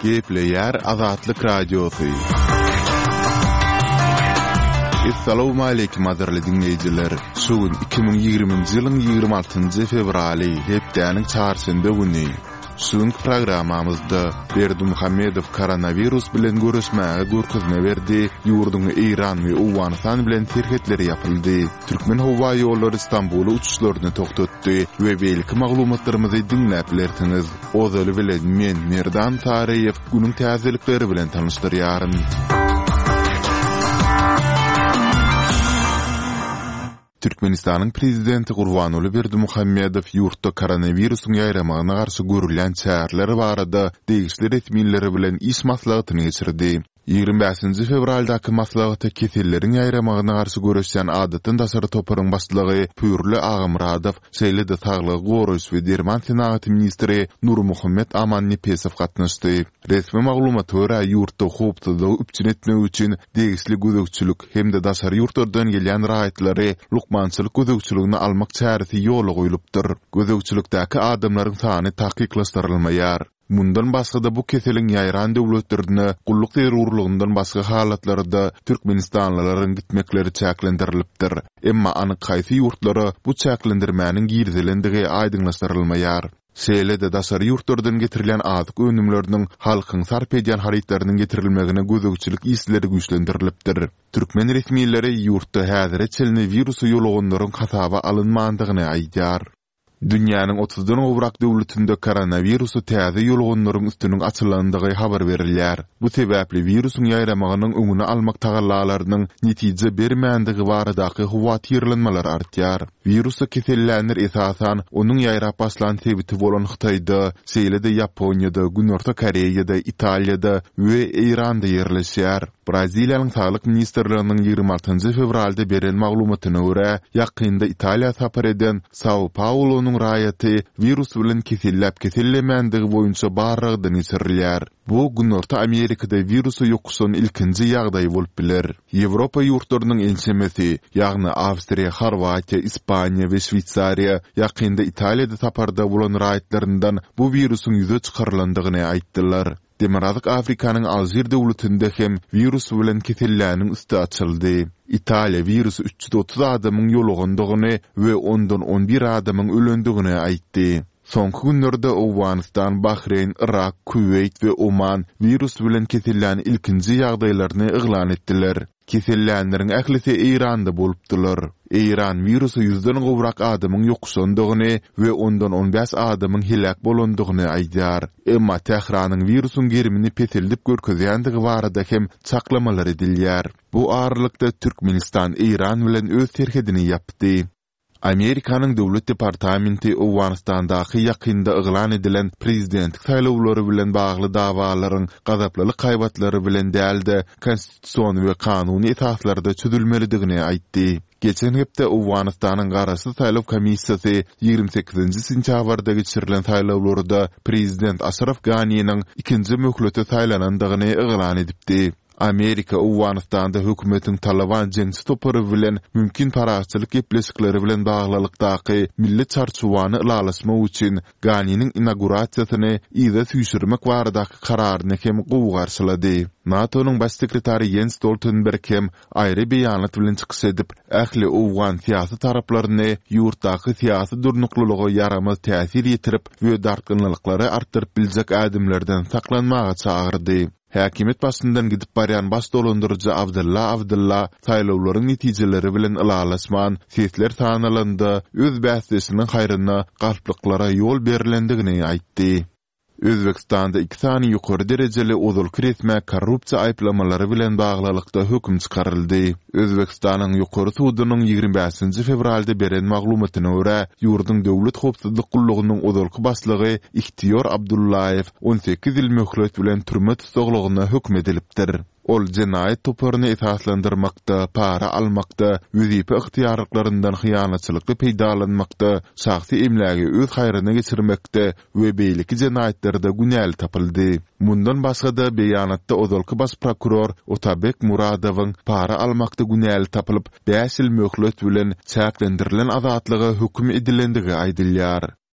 Gepleýär Azatlyk Radiosy. Essalawmaleýkim gadyrly diňleýjiler! Şu gün 2020-nji ýylyň 26-njy fewraly, hepdäniň çarşenbe güni. Şu günki programmamyzda Berdimuhamedow koronawirus bilen göreşmäge görkezme berdi, ýurduň Eýran we Owganystan bilen serhetleri ýapyldy, Türkmenhowaýollary Stambula uçuşlaryny togtatdy we beýleki maglumatlarymyzy diňläp bilersiňiz. Ozaly bilen men, Merdan Saryýew, günüň täzelikleri bilen tanyşdyrýaryn. Türkmenistanyň Prezidenti Gurbanguly Berdimuhamedow ýurtda koronawirusyň ýaýramagyna garşy görülýän çäreler barada degişli resmiler bilen iş maslahatyny geçirdi. 25-nji fewraldaky maslahata keselleriň ýaýramagyna garşy göreşýän adatdan daşary toparyň başlygy Pürli Agamyradow, şeýle-de saglygy goraýyş we derman senagaty ministri Nurmuhammet Amannepesow gatnaşdy. Resmi maglumata görä, ýurtda howpsuzlygy üpjün etmek üçin degişli gözegçilik hem-de daşary ýurtlardan gelýän raýatlary lukmançylyk gözegçiligine almak çäresi ýola goýlupdyr. Gözegçilikdäki adamlaryň sany takyklaşdyrylmaýar. Mundan başga-da bu keseliň ýaýran döwletlerine gulluk zerurlygyndan başga halatlarda türkmenistanlylaryň gitmekleri çäklendirilipdir. Emma anyk haýsy ýurtlara bu çäklendirmäniň girizilendigi aýdyňlaşdyrylmaýar. Şeýle-de daşary ýurtlardan getirilýän azyk önümleriniň, halkyň sarp edýän harytlarynyň getirilmegine gözegçilik işleri güýçlendirilipdir. Türkmen resmileri ýurtda häzire çenli wirusa ýoluganlaryň hasaba alynmandygyny aýdýar. Dünýäniň otuzdan gowrak döwletinde koronawirusa täze ýoluganlaryň üstüniň açylandygy habar berilýär. Bu sebäpli wirusyň ýaýramagynyň öňüni almak tagallalarynyň netije bermändigi baradaky howatyrlanmalar artýar. Wirusa kesellänler esasan, onuň ýaýrap başlan sebiti bolan Hytaýda, şeýle-de Ýaponiýada, Günorta Koreýada, Italiýada we Eýranda ýerleşýär. Braziliýanyň Saglyk ministrliginiň 26 fewralda beren maglumatyna görä, ýakynda Italiýa sapar eden Sao-Paulonyň raýaty wirus bilen keselläp-kesellemändigi boýunça barlagdan geçirilýär. Bu Günorta Amerikada wirusa ýokuşan ilkinji ýagdaý bolup biler. Ýewropa ýurtlarynyň ençemesi, ýagny Awstriýa, Horwatiýa, Ispaniýa we Şweýsariýa ýakynda Italiýada saparda bolan raýatlaryndan bu wirusyň ýüze çykarylandygyny aýtdylar. Demirgazyk Afrikanyň Alžir döwletinde hem wirus bilen keselläniň üsti açyldy. Italiýa wirusa 330 adamyň ýolugandygyny we ondan on bir adamyň ölendigini aýtdy. Soňky günlerde Owganystan, Bahreýn, Yrak, Kuweýt we Oman wirus bilen kesellän ilkinji ýagdaýlaryny yglan etdiler. Kesellänleriň ählisi Eýranda bolupdylar. Eýran wirusa ýüzden gowrak adamyň ýokuşandygyny we ondan on bäş adamyň heläk bolandygyny aýdýar. Emma Tähranyň wirusyň gerimini peseldip görkezýändigi barada hem çaklamalar edilýär. Bu aralykda Türkmenistan Eýran bilen öz serhedini ýapdy. Amerikanyň Döwlet departamenti Owganystandaky ýakynda yglan edilen prezidentlik saýlawlary bilen bagly dawalaryň gazaplylyk haýbatlary bilen däl-de, konstitusion we kanuny esaslarda çözülmelidigini aýtdy. Geçen hepde Owganystanyň Garaşsyz saýlaw komissiýasy 28-nji sentýabrda geçirilen saýlawlarda prezident Aşraf Ganiniň ikinji möhlete saýlanandygyny yglan edipdi. Amerika Owganystanda hökümetiň Talyban jeňçi topary bilen mümkin parahatçylyk gepleşikleri bilen baglylykdaky milli çarçuwany ylalaşmak üçin Ganiniň inaugurasiýasyny yza süýşürmek baradaky kararyny hem gowy garşylady. NATO-nyň Baş sekretary Ýens Stoltenberg hem aýry beýanat bilen çykyş edip, ähli owgan syýasy taraplaryny ýurtdaky syýasy durnuklylyga ýaramaz täsir ýetirip we dartgynlylyklary artdyryp biljek ädimlerden saklanmaga çagyrdy. Häkimiýet başyndan gidip barýan baş dolandyryjy Abdylla Abdylla saýlawlaryň netijeleri bilen ylalaşman, sesler sanalanda öz bäsdeşiniň haýryna galplyklara ýol berlendigini aýtdy. Özbegistanda iki sany ýokary derejeli ozalky resmä korrupsiýa aýyplamalary bilen baglylykda höküm çykaryldy. Özbegistanyň Ýokary sudunyň 25-nji fewralda beren maglumatyna görä, ýurduň Döwlet howpsuzlyk gullugynyň ozalky başlygy Ihtiýor Abdullaýew 18 ýyl möhlet bilen türme tussaglygyna höküm edilipdir. Ol jenaýat toparyny esaslandyrmakda, para almakda, wezipe ygtyýarlyklaryndan hyýanatçylykly peýdalanmakda, şahsy emlägi öz haýryna geçirmekde we beýleki jenaýatlarda günäli tapyldy. Mundan başga-da, beýanatda ozalky baş prokuror Otabek Muradowyň para almakda günäli tapylyp, bäş ýyl möhlet bilen çäklendirilen azatlyga höküm edilendigi aýdylýar.